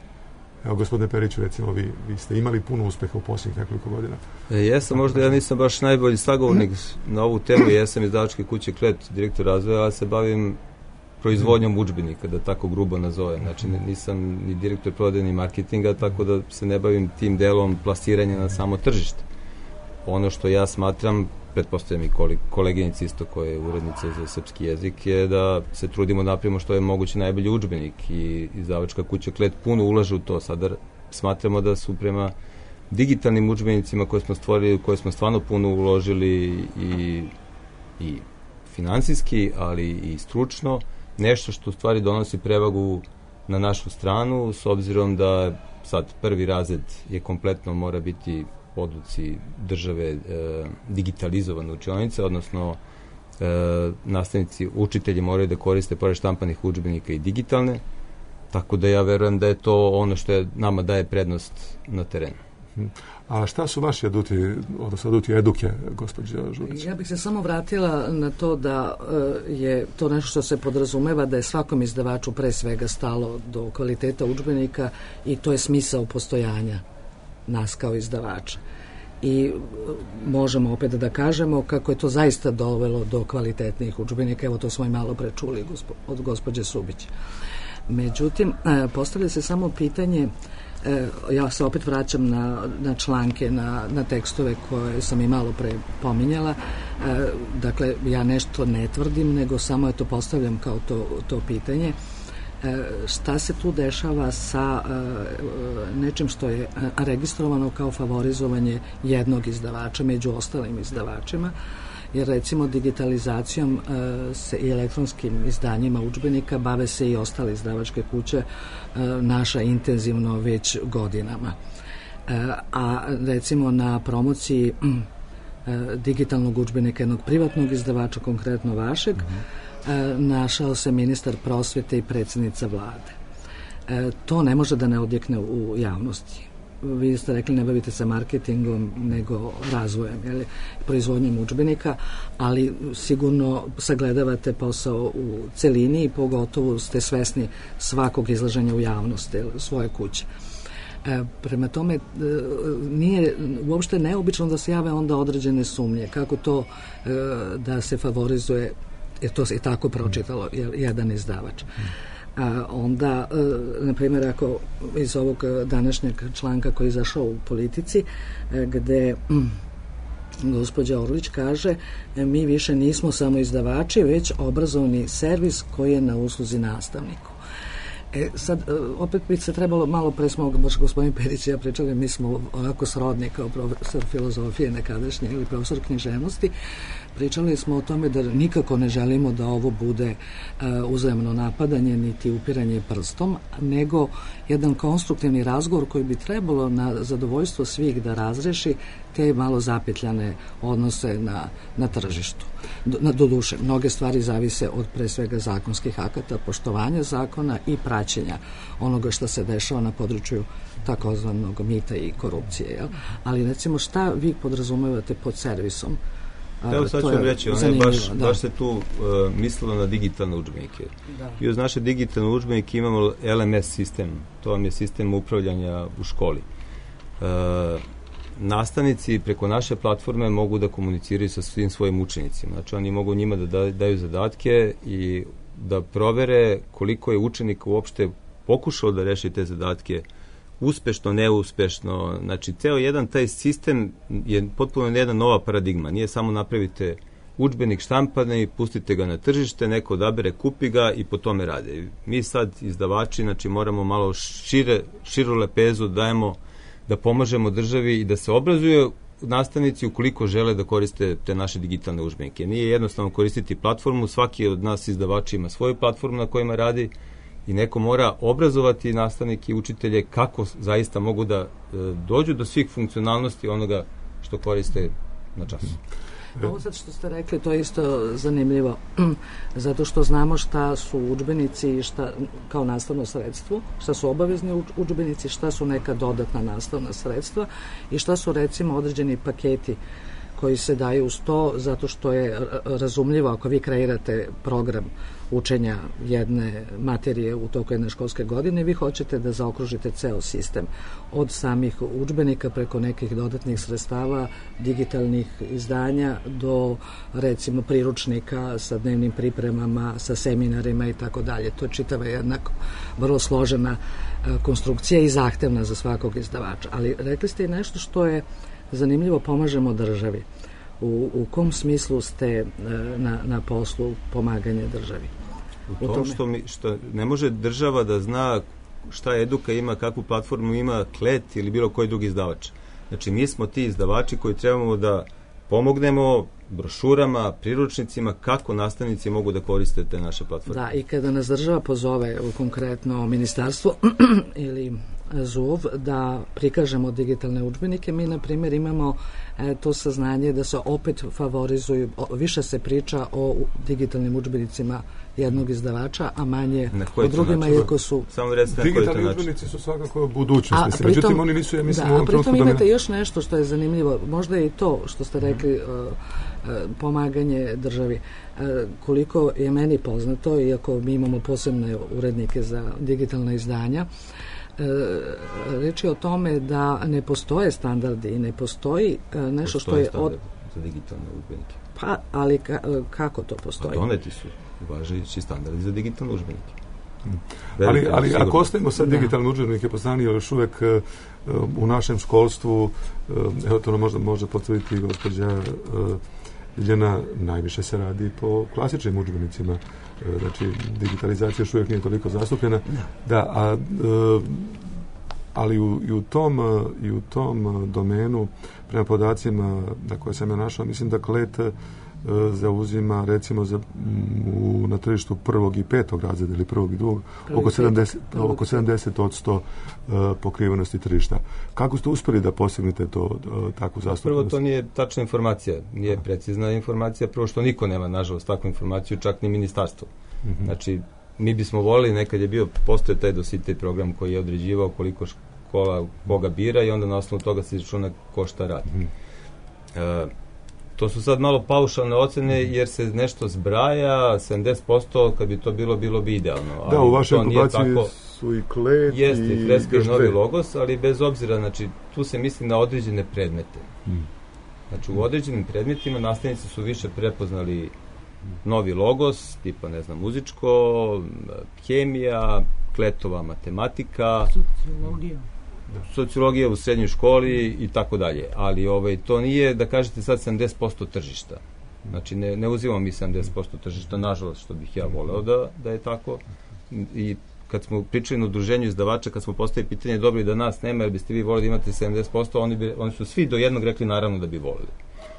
Evo, gospodine Periću, recimo, vi, vi ste imali puno uspeha u posljednjih nekoliko godina. E, jesam, možda ja nisam baš najbolji sagovornik na ovu temu, jesam izdavačke kuće Klet, direktor razvoja, ali se bavim proizvodnjom udžbenika, da tako grubo nazovem. Znači, nisam ni direktor prodaje ni marketinga, tako da se ne bavim tim delom plasiranja na samo tržište. Ono što ja smatram, pretpostavljam i koleginici isto koja je urednica za srpski jezik, je da se trudimo da napravimo što je moguće najbolji udžbenik i izdavačka kuća Klet puno ulaže u to. Sada smatramo da su prema digitalnim udžbenicima koje smo stvorili, koje smo stvarno puno uložili i, i finansijski, ali i stručno, nešto što u stvari donosi prevagu na našu stranu, s obzirom da sad prvi razred je kompletno mora biti po odluci države e, digitalizovane učionice, odnosno e, nastavnici, učitelji moraju da koriste pored štampanih udžbenika i digitalne, tako da ja verujem da je to ono što je, nama daje prednost na terenu. A šta su vaši aduti, odnosno aduti eduke, gospođa Žurić? Ja bih se samo vratila na to da je to nešto što se podrazumeva da je svakom izdavaču pre svega stalo do kvaliteta udžbenika i to je smisao postojanja nas kao izdavača. I možemo opet da kažemo kako je to zaista dovelo do kvalitetnih udžbenika, evo to smo i malo prečuli od gospođe Subić. Međutim, postavlja se samo pitanje, ja se opet vraćam na, na članke, na, na tekstove koje sam i malo pre pominjala, dakle ja nešto ne tvrdim, nego samo je to postavljam kao to, to pitanje. Šta se tu dešava sa nečim što je registrovano kao favorizovanje jednog izdavača među ostalim izdavačima, jer recimo digitalizacijom se i elektronskim izdanjima udžbenika bave se i ostale izdavačke kuće, naša intenzivno već godinama. A recimo na promociji digitalnog udžbenika jednog privatnog izdavača, konkretno vašeg, našao se ministar prosvete i predsjednica vlade. To ne može da ne odjekne u javnosti. Vi ste rekli ne bavite se marketingom nego razvojem, jeli, proizvodnjom udžbenika, ali sigurno sagledavate posao u celini i pogotovo ste svesni svakog izlaženja u javnosti svoje kuće. E, prema tome, e, nije uopšte neobično da se jave onda određene sumnje kako to e, da se favorizuje, jer to se i tako pročitalo jedan izdavač. A onda, na primjer, ako iz ovog današnjeg članka koji je izašao u Politici, gde gospođa Orlić kaže mi više nismo samo izdavači, već obrazovni servis koji je na usluzi nastavniku. E, sad, opet bi se trebalo, malo pre smo, baš gospodin Perić i ja pričali, mi smo onako srodni kao profesor filozofije nekadašnje ili profesor književnosti, pričali smo o tome da nikako ne želimo da ovo bude uh, uzajamno napadanje niti upiranje prstom, nego jedan konstruktivni razgovor koji bi trebalo na zadovoljstvo svih da razreši te malo zapetljane odnose na, na tržištu. Do, na, doduše, mnoge stvari zavise od pre svega zakonskih akata, poštovanja zakona i praćenja onoga što se dešava na području takozvanog mita i korupcije. Jel? Ali recimo šta vi podrazumevate pod servisom? Evo sad ću vam reći, ono je baš, baš se tu uh, mislilo na digitalne udžbenike. Da. I uz naše digitalne udžbenike imamo L M S sistem, to vam je sistem upravljanja u školi. Uh, nastavnici preko naše platforme mogu da komuniciraju sa svim svojim učenicima. Znači oni mogu njima da daju zadatke i da provere koliko je učenika uopšte pokušao da reši te zadatke uspešno, neuspešno. Znači, ceo jedan taj sistem je potpuno jedna nova paradigma. Nije samo napravite udžbenik štampane i pustite ga na tržište, neko odabere, kupi ga i po tome rade. Mi sad, izdavači, znači moramo malo šire, širu lepezu dajemo da pomažemo državi i da se obrazuju nastavnici ukoliko žele da koriste te naše digitalne udžbenike. Nije jednostavno koristiti platformu, svaki od nas izdavači ima svoju platformu na kojima radi i neko mora obrazovati nastavnike i učitelje kako zaista mogu da e, dođu do svih funkcionalnosti onoga što koriste na času. Ovo sad što ste rekli, to je isto zanimljivo, zato što znamo šta su udžbenici i šta, kao nastavno sredstvo, šta su obavezni udžbenici, šta su neka dodatna nastavna sredstva i šta su recimo određeni paketi koji se daju uz to, zato što je razumljivo ako vi kreirate program učenja jedne materije u toku jedne školske godine, vi hoćete da zaokružite ceo sistem od samih udžbenika preko nekih dodatnih sredstava, digitalnih izdanja do recimo priručnika sa dnevnim pripremama, sa seminarima i tako dalje. To je čitava jedna vrlo složena konstrukcija i zahtevna za svakog izdavača. Ali rekli ste i nešto što je zanimljivo, pomažemo državi. U, u kom smislu ste na, na poslu pomaganje državi? U tom što, mi, što ne može država da zna šta Eduka ima, kakvu platformu ima Klet ili bilo koji drugi izdavač. Znači mi smo ti izdavači koji trebamo da pomognemo brošurama, priručnicima, kako nastavnici mogu da koriste te naše platforme. Da, i kada nas država pozove u konkretno ministarstvo ili Z U V da prikažemo digitalne udžbenike, mi na primjer imamo e, to saznanje da se opet favorizuju, o, više se priča o digitalnim udžbenicima jednog izdavača, a manje o drugima, iako su... Samo recite na koji to način. Digitalni udžbenici su svakako budućnost. A, pritom, međutim, oni nisu, ja mislim, da, u ovom trenutku... A pritom imate još nešto što je zanimljivo, možda je i to što ste rekli, uh, uh, pomaganje državi. Uh, koliko je meni poznato, iako mi imamo posebne urednike za digitalna izdanja, reč je o tome da ne postoje standardi i ne postoji nešto postoje što je od... za digitalne udžbenike. Pa, ali ka, kako to postoji? Pa doneti su važeći standardi za digitalne udžbenike. Hmm. Ali, ali ako ostavimo sad digitalne udžbenike po strani, još uvek uh, u našem školstvu, uh, evo to možda može potvrditi gospođa uh, Ljiljana, najviše se radi po klasičnim udžbenicima. Znači, digitalizacija još uvijek nije toliko zastupljena. Da, a, ali u, i, u tom, i u tom domenu, prema podacima na koje sam ja našao, mislim da Klet zauzima, recimo, za, u, na tržištu prvog i petog razreda ili prvog i drugog, oko sedamdeset, oko sedamdeset odsto pokrivenosti tržišta. Kako ste uspjeli da postignete to, takvu zastupljenost? Prvo, to nije tačna informacija, nije precizna informacija, prvo što niko nema, nažalost, takvu informaciju, čak ni ministarstvo. Mm-hmm. Znači, mi bismo volili, nekad je bio, postoje taj dositej program koji je određivao koliko škola koga bira i onda na osnovu toga se izračuna ko šta radi. Mm-hmm. E, to su sad malo paušalne ocene jer se nešto zbraja, sedamdeset posto kad bi to bilo, bilo bi idealno. Da, ali u vašoj populaciji su i Klet jeste, i freska i novi logos, ali bez obzira, znači, tu se misli na određene predmete. Mm. Znači, u određenim predmetima nastavnici su više prepoznali novi logos, tipa, ne znam, muzičko, hemija, Kletova matematika, sociologija. sociologija u srednjoj školi i tako dalje. Ali ovaj, to nije, da kažete sad, sedamdeset posto tržišta. Znači, ne, ne uzimamo mi sedamdeset posto tržišta, nažalost, što bih ja voleo da, da je tako. I kad smo pričali na udruženju izdavača, kad smo postavili pitanje, dobro, da nas nema, jer biste vi volili da imate sedamdeset posto, oni, bi, oni su svi do jednog rekli naravno da bi volili.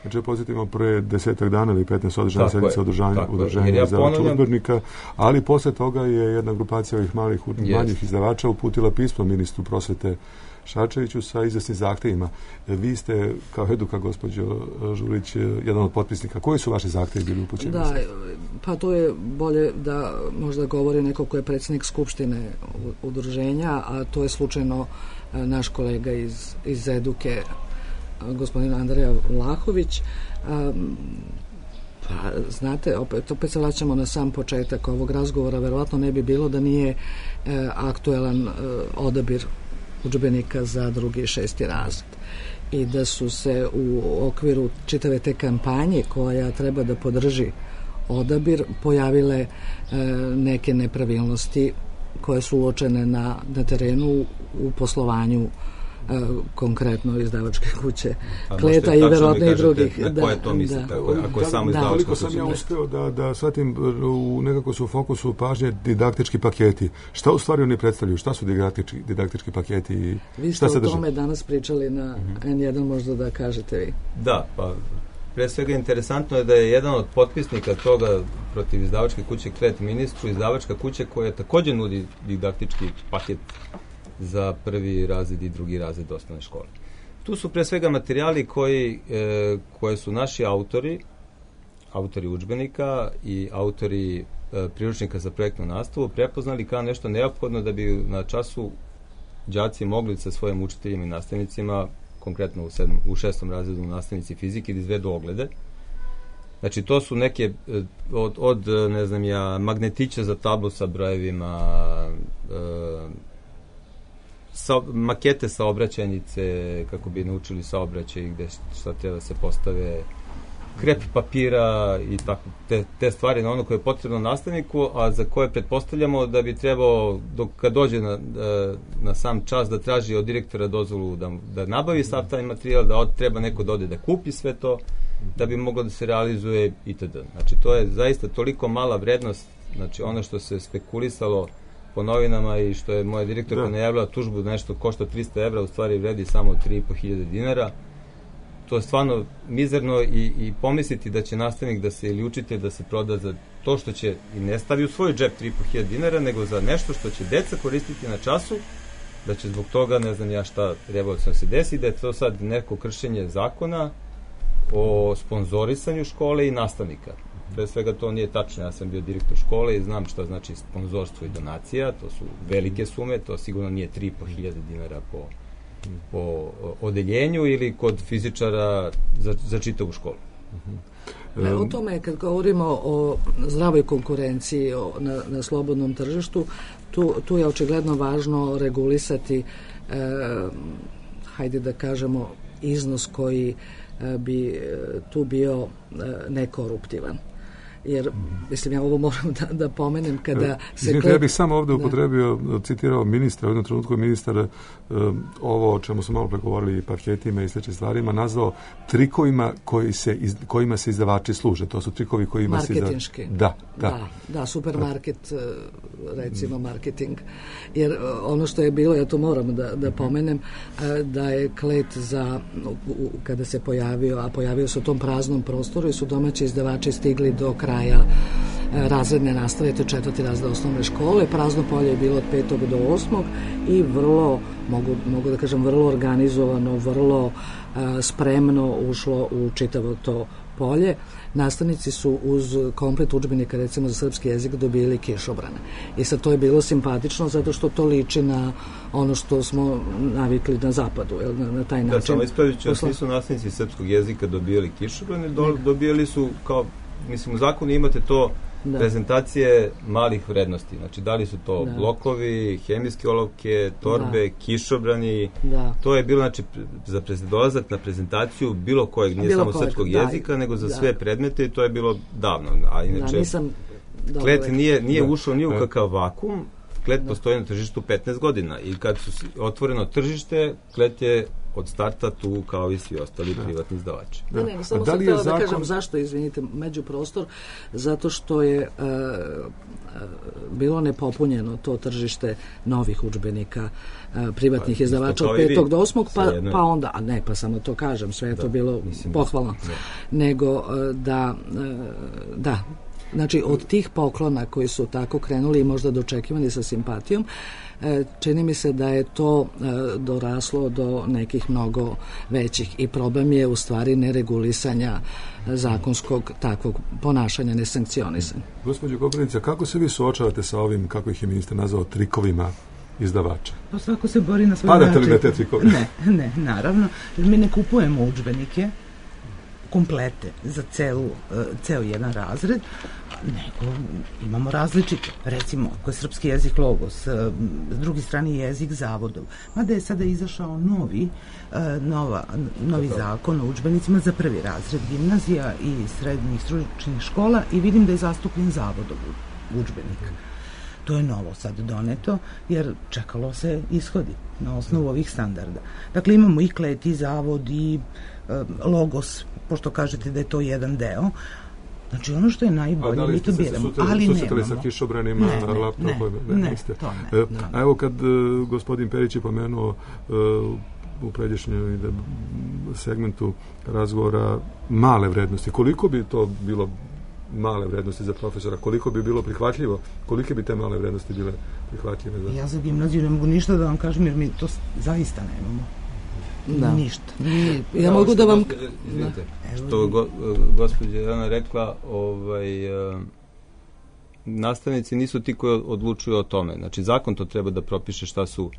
Znači, posjetimo pre desetak dana ili petnaest održana sedmica udruženja ja izdavača udžbenika, ali posle toga je jedna grupacija ovih malih, yes. manjih izdavača uputila pismo ministru prosvete Šarčeviću sa izvesnim zahtevima. Vi ste, kao Eduka, gospođo Žulić, jedan od potpisnika. Koji su vaši zahtevi bili upućeni? Da, pa to je bolje da možda govori neko ko je predsjednik skupštine udruženja, a to je slučajno naš kolega iz, iz Eduke, gospodin Andreja Vlahović. Um, pa, znate, opet, opet se vraćamo na sam početak ovog razgovora, verovatno ne bi bilo da nije e, aktuelan e, odabir udžbenika za drugi i šesti razred. I da su se u okviru čitave te kampanje koja treba da podrži odabir pojavile e, neke nepravilnosti koje su uočene na, na terenu u poslovanju konkretno izdavačke kuće Kleta i verovatno i drugih. Na koje to mislite, da, ako, ako je samo da, izdavačka kuća? Sam ja uspeo da, da shvatim, u nekako su u fokusu pažnje didaktički paketi. Šta u stvari oni predstavljaju? Šta su didaktički, didaktički paketi? I vi ste šta o tome danas pričali na mm-hmm. en jedan, možda da kažete vi. Da, pa pre svega interesantno je da je jedan od potpisnika toga protiv izdavačke kuće Klet ministru, izdavačka kuća koja također nudi didaktički paket za prvi razred i drugi razred osnovne škole. Tu su pre svega materijali koji, e, koje su naši autori, autori udžbenika i autori e, priručnika za projektnu nastavu prepoznali kao nešto neophodno da bi na času đaci mogli sa svojim učiteljima i nastavnicima, konkretno u, sedm, u šestom razredu nastavnici fizike, da izvedu oglede. Znači, to su neke od, od ne znam ja, magnetića za tablu sa brojevima, e, sa, makete saobraćajnice, kako bi naučili saobraćaj, gde šta treba da se postave, krep papira i tako, te, te stvari na ono koje je potrebno nastavniku, a za koje pretpostavljamo da bi trebao, dok kad dođe na, na sam čas, da traži od direktora dozvolu da, da nabavi sav taj materijal, da od, treba neko da ode da kupi sve to, da bi moglo da se realizuje itd. Znači, to je zaista toliko mala vrednost, znači ono što se spekulisalo po novinama i što je moja direktorka najavila tužbu da nešto košta trista evra, u stvari vredi samo tri i po hiljade dinara. To je stvarno mizerno i, i pomisliti da će nastavnik da se ili učitelj da se proda za to što će i ne stavi u svoj džep tri i po hiljade dinara, nego za nešto što će deca koristiti na času, da će zbog toga, ne znam ja šta revolucionalno se desi, da je to sad neko kršenje zakona o sponzorisanju škole i nastavnika. Pre svega to nije tačno, ja sam bio direktor škole i znam šta znači sponzorstvo i donacija, to su velike sume, to sigurno nije tri i po hiljade dinara po, po odeljenju ili kod fizičara za, za čitavu školu. E, o tome, kad govorimo o zdravoj konkurenciji o, na, na slobodnom tržištu, tu, tu je očigledno važno regulisati, e, hajde da kažemo, iznos koji bi tu bio nekoruptivan. Jer, mislim, ja ovo moram da, da pomenem kada se... Izvinite, ja bih samo ovdje upotrebio, da. citirao ministra, u jednom trenutku ministar um, ovo o čemu smo malo pregovorili, paketima i sličnim stvarima, nazvao trikovima koji se iz, kojima se izdavači služe. To su trikovi kojima se... Marketinški. Da, da. Da, da, supermarket, recimo marketing. Jer ono što je bilo, ja to moram da, da pomenem, da je klet za, kada se pojavio, a pojavio se u tom praznom prostoru i su domaći izdavači stigli do kraja kraja razredne nastave, to je četvrti razred osnovne škole. Prazno polje je bilo od petog do osmog i vrlo, mogu, mogu da kažem, vrlo organizovano, vrlo uh, spremno ušlo u čitavo to polje. Nastavnici su uz komplet udžbenika, recimo za srpski jezik, dobili kišobrane. I sad to je bilo simpatično zato što to liči na ono što smo navikli na zapadu, jel, na, na taj način. Da, samo ispravit ću, Posla... nisu nastavnici srpskog jezika dobijali kišobrane, do, dobijali su kao, mislim, u zakonu imate to da. prezentacije malih vrednosti. Znači, da li su to da. blokovi, hemijske olovke, torbe, da. kišobrani. Da. To je bilo, znači, za dolazak na prezentaciju bilo kojeg, nije bilo samo kojeg, srpskog da. jezika, nego za da. sve predmete i to je bilo davno. A inače, da, nisam klet nije, nije da. ušao ni u kakav vakum. Klet da. postoji na tržištu petnaest godina i kad su otvoreno tržište, klet je od starta tu kao i svi ostali da. privatni izdavači. Da. Ne, ne, samo da sam htjela zakon... da kažem zašto, izvinite, međuprostor, zato što je uh, uh, bilo nepopunjeno to tržište novih udžbenika uh, privatnih pa, izdavača od petog do osmog, pa, pa onda, a ne, pa samo to kažem, sve je da. to bilo Mislim, pohvalno, da. nego uh, da, uh, da, znači od tih poklona koji su tako krenuli i možda dočekivani sa simpatijom, čini mi se da je to doraslo do nekih mnogo većih i problem je u stvari neregulisanja zakonskog takvog ponašanja, nesankcionisanja. Gospođo Koprivica, kako se vi suočavate sa ovim, kako ih je ministar nazvao, trikovima izdavača? Pa svako se bori na svoj način. Padate li na te trikove? Ne, ne, naravno. Mi ne kupujemo udžbenike komplete za celu, ceo jedan razred, nego imamo različite. Recimo, ako je srpski jezik logos, s druge strane jezik zavodov. Mada je sada izašao novi, nova, novi zakon o udžbenicima za prvi razred gimnazija i srednjih stručnih škola i vidim da je zastupljen zavodov udžbenik. To je novo sad doneto, jer čekalo se ishodi na osnovu ovih standarda. Dakle, imamo i klet, i zavod, i e, logos, pošto kažete da je to jedan deo. Znači, ono što je najbolje, mi to biramo, ali nemamo. Susretali sa kišobranima, ne, ne, laptopom? Ne, ne, ne, to ne. E, a evo kad uh, gospodin Perić je pomenuo uh, u pređešnjoj segmentu razgovora male vrednosti, koliko bi to bilo male vrednosti za profesora, koliko bi bilo prihvatljivo, kolike bi te male vrednosti bile prihvatljive? Za... Ja za gimnaziju ne mogu ništa da vam kažem, jer mi to zaista nemamo. Da. Ništa. Nije, ja da, mogu da vam... Gospođe, izvinite, što go, gospođa Jelena rekla, ovaj, uh, nastavnici nisu ti koji odlučuju o tome. Znači, zakon to treba da propiše šta su,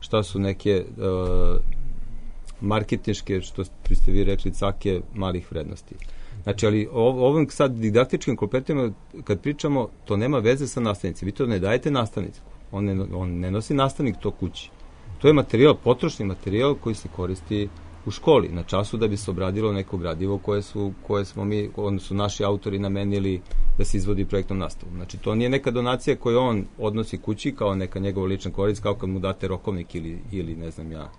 šta su neke uh, marketinške, što ste vi rekli, cake malih vrednosti. Znači, ali o, ovim sad didaktičkim kompetencijama, kad pričamo, to nema veze sa nastavnicima. Vi to ne dajete nastavnicu. On ne, on ne nosi nastavnik to kući. To je materijal, potrošni materijal koji se koristi u školi, na času da bi se obradilo neko gradivo koje su, koje smo mi, odnosno naši autori namenili da se izvodi projektnom nastavom. Znači, to nije neka donacija koju on odnosi kući kao neka njegova lična korist, kao kad mu date rokovnik ili, ili ne znam ja,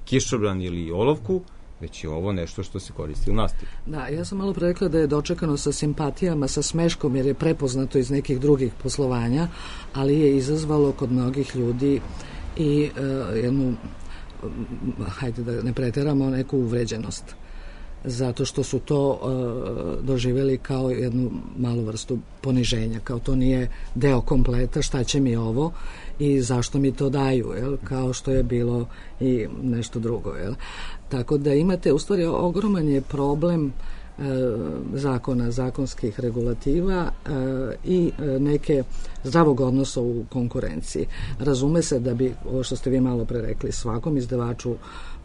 kišobran ili olovku, već je ovo nešto što se koristi u nastavi. Da, ja sam malo rekla da je dočekano sa simpatijama, sa smeškom, jer je prepoznato iz nekih drugih poslovanja, ali je izazvalo kod mnogih ljudi i uh, jednu, hajde da ne preteramo, neku uvređenost. Zato što su to uh, doživjeli kao jednu malu vrstu poniženja, kao to nije deo kompleta, šta će mi ovo i zašto mi to daju, jel? Kao što je bilo i nešto drugo. Jel? Tako da imate, u stvari, ogroman je problem e, zakona, zakonskih regulativa e, i e, neke zdravog odnosa u konkurenciji. Razume se da bi, ovo što ste vi malo pre rekli, svakom izdavaču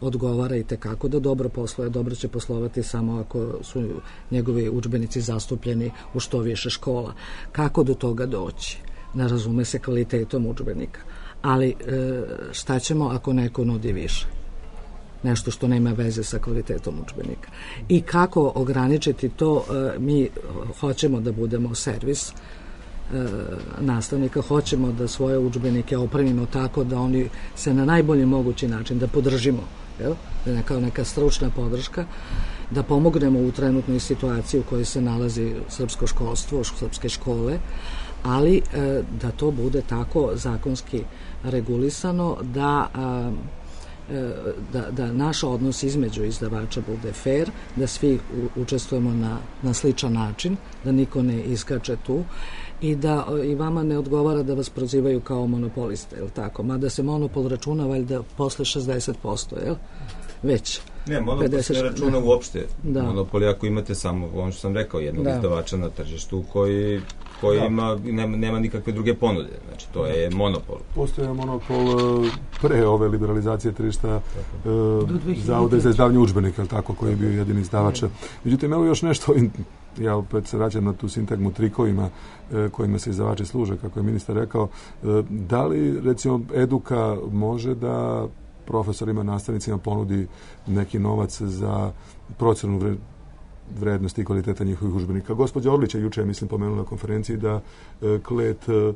odgovara i tekako da dobro posluje, dobro će poslovati samo ako su njegovi udžbenici zastupljeni u što više škola. Kako do toga doći? Ne razume se kvalitetom udžbenika. Ali e, šta ćemo ako neko nudi više? Nešto što nema veze sa kvalitetom udžbenika. I kako ograničiti to? E, mi hoćemo da budemo servis e, nastavnika, hoćemo da svoje udžbenike opremimo tako da oni se na najbolji mogući način da podržimo, jel? Da kao neka stručna podrška, da pomognemo u trenutnoj situaciji u kojoj se nalazi srpsko školstvo, srpske škole, ali e, da to bude tako zakonski regulisano da, a, e, da, da naš odnos između izdavača bude fair, da svi u, učestvujemo na, na sličan način, da niko ne iskače tu i da i vama ne odgovara da vas prozivaju kao monopoliste, jel tako? Mada se monopol računa valjda posle šezdeset posto, jel? Već. Ne, monopol se ne računa uopšte. Da. Monopol, ako imate samo, ono što sam rekao, jednog da. izdavača na tržištu koji, koji da. ima, nema, nema nikakve druge ponude. Znači, to je monopol. Postoje monopol pre ove liberalizacije tržišta uh, Zavoda za izdavanje udžbenika, tako, koji je bio jedini izdavač. Međutim, evo još nešto, ja opet se vraćam na tu sintagmu trikovima uh, kojima se izdavači služe, kako je ministar rekao. Uh, da li, recimo, eduka može da profesorima, nastavnicima ponudi neki novac za procenu vrednosti i kvaliteta njihovih udžbenika? Gospođa Orlić je juče, mislim, pomenula na konferenciji da e, Klet e,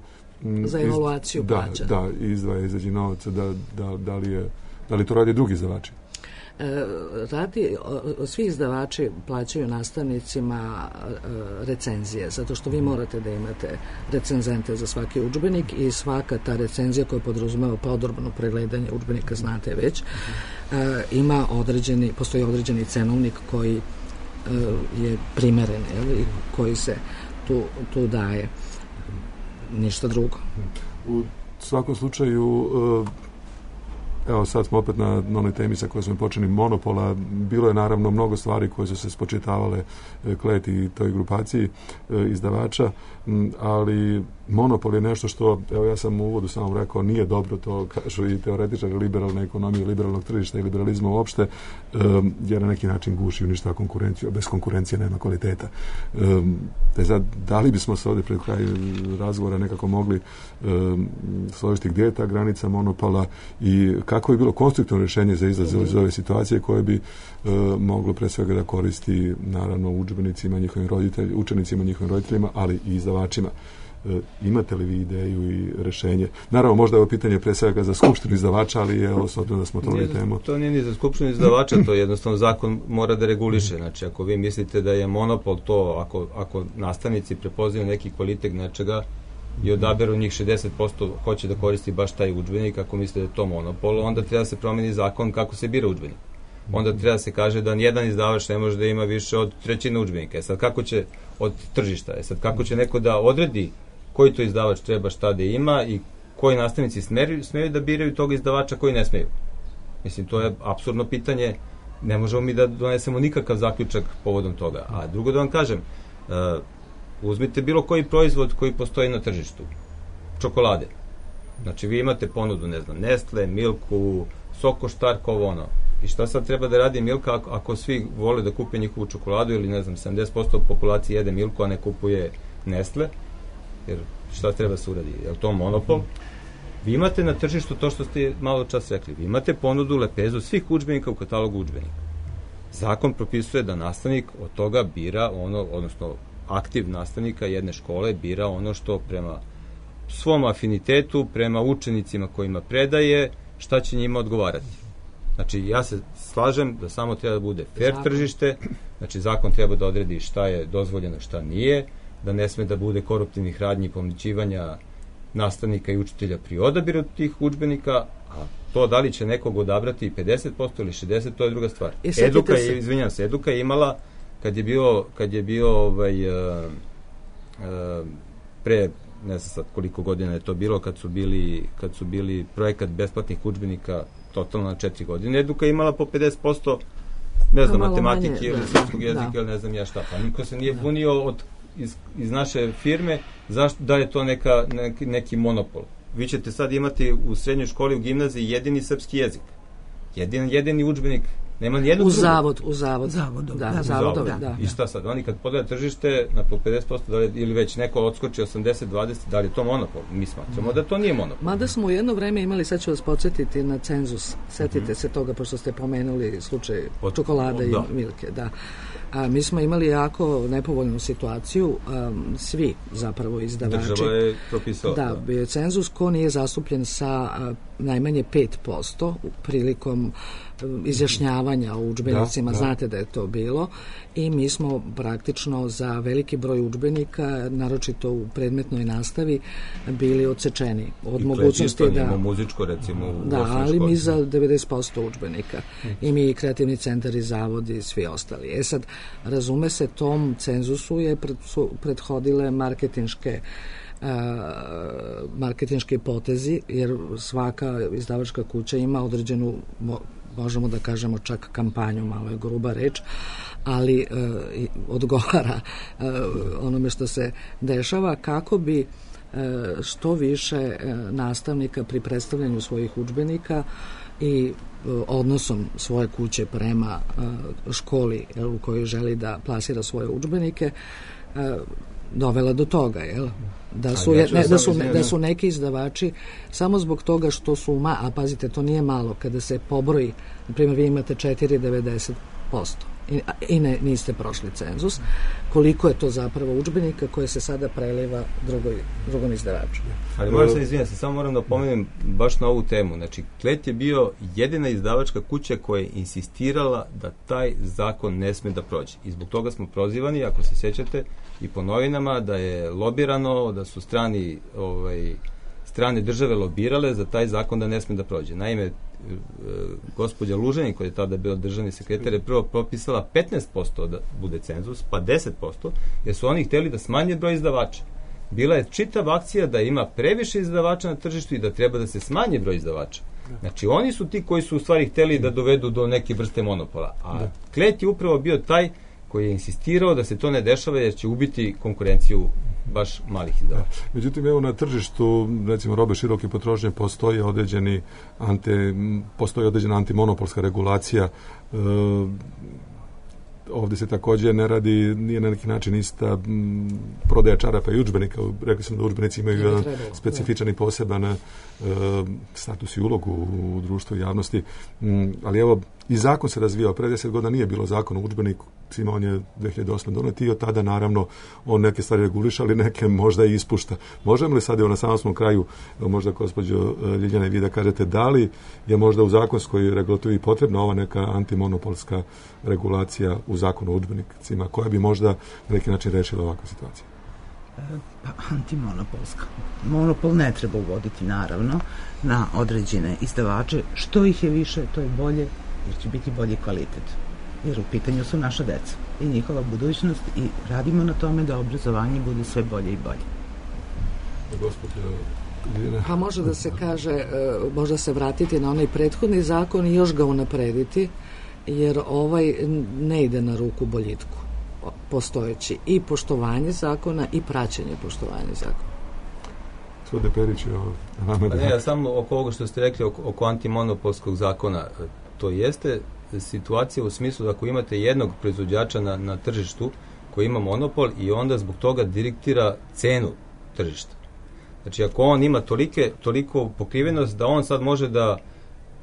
za evaluaciju da, plaća. Da, izdvaja izađi novac, da, da, da, li je, da li to radi drugi izdavači? E, radi, o, svi izdavači plaćaju nastavnicima e, recenzije, zato što vi morate da imate recenzente za svaki udžbenik i svaka ta recenzija koja podrazumeva podrobno pregledanje udžbenika, znate već, e, ima određeni, postoji određeni cenovnik koji e, je primeren, jel, i koji se tu, tu daje. Ništa drugo. U svakom slučaju, evo sad smo opet na, na onoj temi sa kojoj smo počeli, monopola. Bilo je naravno mnogo stvari koje su se spočitavale Kleti i toj grupaciji izdavača, ali monopol je nešto što, evo ja sam u uvodu samo rekao, nije dobro, to kažu i teoretičari liberalne ekonomije, liberalnog tržišta i liberalizma uopšte, jer na neki način guši, uništava konkurenciju, a bez konkurencije nema kvaliteta. Te sad, da li bismo se ovdje pred kraj razgovora nekako mogli složiti gdje je ta granica monopola i kako je bilo konstruktivno rješenje za izlaz iz ove situacije koje bi moglo pre svega da koristi naravno udžbenicima, njihovim roditeljima, učenicima, njihovim roditeljima, ali i izdavačima. Imate li vi ideju i rješenje? Naravno, možda je ovo pitanje pre svega za skupštinu izdavača, ali je osobno da smo to li temu. To nije ni za skupštinu izdavača, to jednostavno zakon mora da reguliše. Znači, ako vi mislite da je monopol to, ako, ako nastavnici prepoznaju neki kvalitet nečega i odaberu njih šezdeset posto hoće da koristi baš taj udžbenik, ako mislite da je to monopol, onda treba se promeni zakon kako se bira udžbenik. Onda treba da se kaže da nijedan izdavač ne može da ima više od trećine udžbenika. E sad kako će od tržišta, e sad kako će neko da odredi koji to izdavač treba šta da ima i koji nastavnici smeju, smeju da biraju tog izdavača, koji ne smeju. Mislim, to je apsurdno pitanje, ne možemo mi da donesemo nikakav zaključak povodom toga. A drugo da vam kažem, uh, uzmite bilo koji proizvod koji postoji na tržištu, čokolade. Znači, vi imate ponudu, ne znam, Nestle, Milku, Soko, Štark, ovo ono. I šta sad treba da radi Milka ako, ako svi vole da kupe njihovu čokoladu ili, ne znam, sedamdeset posto populacije jede Milku, a ne kupuje Nestle? Jer šta treba se uradi? Je li to monopol? Vi imate na tržištu to što ste malo čas rekli. Vi imate ponudu, lepezu svih udžbenika u katalogu udžbenika. Zakon propisuje da nastavnik od toga bira ono, odnosno aktiv nastavnika jedne škole bira ono što prema svom afinitetu, prema učenicima kojima predaje, šta će njima odgovarati. Znači, ja se slažem da samo treba da bude fair zakon. Tržište, znači zakon treba da odredi šta je dozvoljeno, šta nije, da ne sme da bude koruptivnih radnji i pomnićivanja nastavnika i učitelja pri odabiru tih udžbenika, a to da li će nekog odabrati pedeset posto ili šezdeset posto, to je druga stvar. Eduka je, izvinjam se, Eduka je imala, kad je bio, kad je bio ovaj, uh, uh, pre, ne znam sad koliko godina je to bilo, kad su bili, kad su bili projekat besplatnih udžbenika totalno na četiri godine, Eduka je imala po pedeset posto, ne znam, matematike manje, ili srpskog jezika ili ne znam ja šta, pa niko se nije bunio od Iz, iz naše firme, zašto, da je to neka, neki, neki monopol. Vi ćete sad imati u srednjoj školi, u gimnaziji jedini srpski jezik. Jedin, jedini udžbenik. Nema nijednog u zavod, u zavod. Zavodom, da, da, zavodom, da, da. I šta sad? Oni kad podaju tržište na po pedeset posto da li, ili već neko odskoči osamdeset dvadeset, da li je to monopol? Mi smatramo da to nije monopol. Mada smo u jedno vreme imali, sad ću vas podsjetiti na cenzus. Setite mm-hmm. se toga, pošto ste pomenuli slučaj od, čokolade od, da. i Milke. Da. A, mi smo imali jako nepovoljnu situaciju, um, svi zapravo izdavači. Država je propisala. Da, bio je cenzus ko nije zastupljen sa uh, najmanje pet posto prilikom izjašnjavanja o udžbenicima, da, da. Znate da je to bilo i mi smo praktično za veliki broj udžbenika, naročito u predmetnoj nastavi, bili odsečeni od I mogućnosti da... muzičko, recimo, u da, ali mi za devedeset posto udžbenika. Hmm. I mi kreativni centar i zavodi i svi ostali. E sad, razume se, tom cenzusu je pred, su prethodile marketinške Uh, marketinški potezi, jer svaka izdavačka kuća ima određenu, možemo da kažemo čak kampanju, malo je gruba reč, ali uh, odgovara uh, onome što se dešava, kako bi uh, što više uh, nastavnika pri predstavljanju svojih udžbenika i uh, odnosom svoje kuće prema uh, školi jel, u kojoj želi da plasira svoje udžbenike uh, dovela do toga, jel? Da su, je, ne, da, su, da su neki izdavači samo zbog toga što su, ma, a pazite, to nije malo, kada se pobroji, na primjer, vi imate četiri zarez devedeset posto i, i ne, niste prošli cenzus, koliko je to zapravo udžbenika koje se sada preliva drugoj, drugom izdavaču. Ali moram se izvinjati, samo moram da opomenem baš na ovu temu. Znači, Klet je bio jedina izdavačka kuća koja je insistirala da taj zakon ne sme da prođe. I zbog toga smo prozivani, ako se sjećate, i po novinama, da je lobirano, da su strani, ovaj, strane države lobirale za taj zakon da ne sme da prođe. Naime, gospođa Luženin, koja je tada bila državni sekretar, je prvo propisala petnaest posto da bude cenzus, pa deset posto, jer su oni hteli da smanje broj izdavača. Bila je čitava akcija da ima previše izdavača na tržištu i da treba da se smanje broj izdavača. Znači, oni su ti koji su u stvari hteli da dovedu do neke vrste monopola. A da. Klet je upravo bio taj koji je insistirao da se to ne dešava jer će ubiti konkurenciju baš malih izdavača. Međutim, evo na tržištu, recimo, robe široke potrošnje postoji određeni ante, postoji određena antimonopolska regulacija. E, ovdje se također ne radi, nije na neki način ista m, prodaja čarapa i udžbenika. Rekli smo da udžbenici imaju jedan specifičan i poseban e, status i ulogu u društvu i javnosti. M, ali evo, i zakon se razvijao. Pre deset godina nije bilo zakon o udžbeniku, on je dve hiljade osme donet i od tada naravno on neke stvari reguliša, ali neke možda i ispušta. Možemo li sad evo na samom kraju, možda gospođo Ljiljana i vi da kažete, da li je možda u zakonskoj regulativi potrebna ova neka antimonopolska regulacija u zakonu o udžbenicima, koja bi možda na neki način rešila ovakvu situaciju? Pa, antimonopolska. Monopol ne treba uvoditi, naravno, na određene izdavače. Što ih je više, to je bolje, jer će biti bolji kvalitet. Jer u pitanju su naša deca i njihova budućnost i radimo na tome da obrazovanje bude sve bolje i bolje. Gospođo Pa može da se kaže, možda se vratiti na onaj prethodni zakon i još ga unaprediti, jer ovaj ne ide na ruku boljitku postojeći. I poštovanje zakona i praćenje poštovanja zakona. Svode Perić, pa ne, ja samo oko ovoga što ste rekli oko, oko antimonopolskog zakona, to jeste situacija u smislu da ako imate jednog proizvođača na, na tržištu koji ima monopol i onda zbog toga diktira cenu tržišta. Znači ako on ima tolike, toliko pokrivenost da on sad može da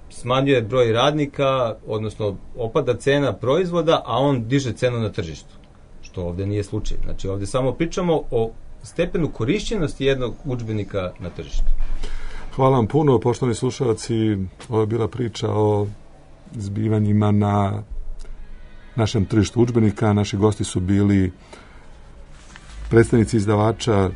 smanjuje broj radnika, odnosno opada cena proizvoda, a on diže cenu na tržištu. Što ovdje nije slučaj. Znači ovdje samo pričamo o stepenu korišćenosti jednog udžbenika na tržištu. Hvala vam puno, poštovani slušalci. Ovo je bila priča o zbivanjima na našem tržištu udžbenika. Naši gosti su bili predstavnici izdavača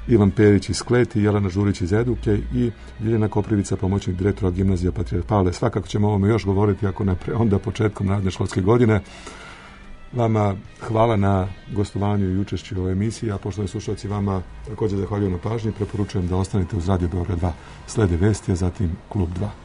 Ivan Perić iz Kleti, Jelena Žurić iz Eduke i Ljiljana Koprivica, pomoćnik direktora gimnazija Patrijarh Pavle. Svakako ćemo o ovome još govoriti, ako ne pre, onda početkom naredne školske godine. Vama hvala na gostovanju i učešću u ovoj emisiji, a poštovani slušalci, vama također zahvaljujem na pažnji. Preporučujem da ostanete uz Radio Beograd dva. Slede vesti, a zatim Klub dva.